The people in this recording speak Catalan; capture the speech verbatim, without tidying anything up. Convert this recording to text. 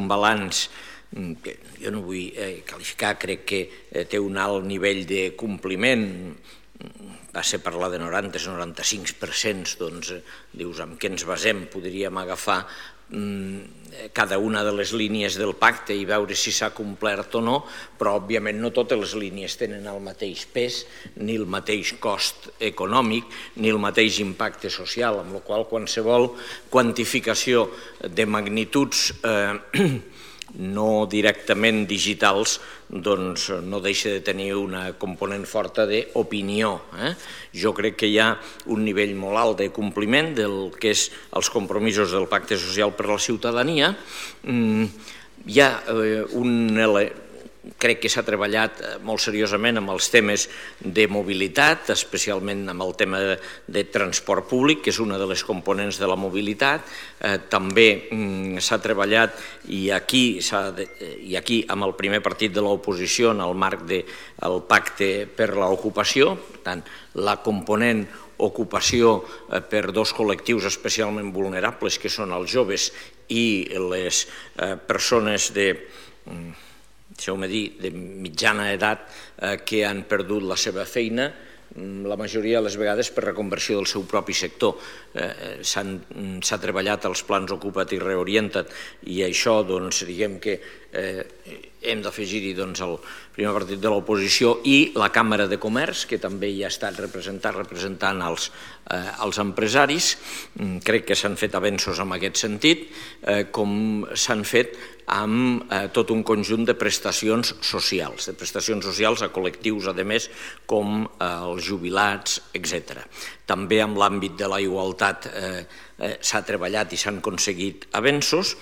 un balanç que jo no vull qualificar, crec que té un alt nivell de compliment, va ser parlar de noranta a noranta-cinc per cent, doncs dius amb què ens basem, podríem agafar cada una de les línies del pacte i veure si s'ha complert o no, però òbviament no totes les línies tenen el mateix pes, ni el mateix cost econòmic, ni el mateix impacte social, amb la qual cosa qualsevol quantificació de magnituds no directament digitals doncs no deixa de tenir una component forta d'opinió. Jo crec que hi ha un nivell molt alt de compliment del que és els compromisos del Pacte Social per a la Ciutadania. Hi ha un... Crec que s'ha treballat molt seriosament amb els temes de mobilitat, especialment amb el tema de transport públic, que és una de les components de la mobilitat. També s'ha treballat, i aquí amb el primer partit de l'oposició, en el marc del Pacte per l'Ocupació, per tant, la component ocupació per dos col·lectius especialment vulnerables, que són els joves i les persones de... deixeu-me dir, de mitjana edat que han perdut la seva feina, la majoria de les vegades per reconversió del seu propi sector. S'ha treballat els plans Ocupa't i Reorienta't i això, doncs, diguem que hem d'afegir-hi el primer partit de l'oposició i la Càmera de Comerç, que també hi ha estat representat representant els empresaris. Crec que s'han fet avenços en aquest sentit, com s'han fet amb tot un conjunt de prestacions socials, de prestacions socials a col·lectius, a més, com els jubilats, etcètera. També en l'àmbit de la igualtat s'ha treballat i s'han aconseguit avenços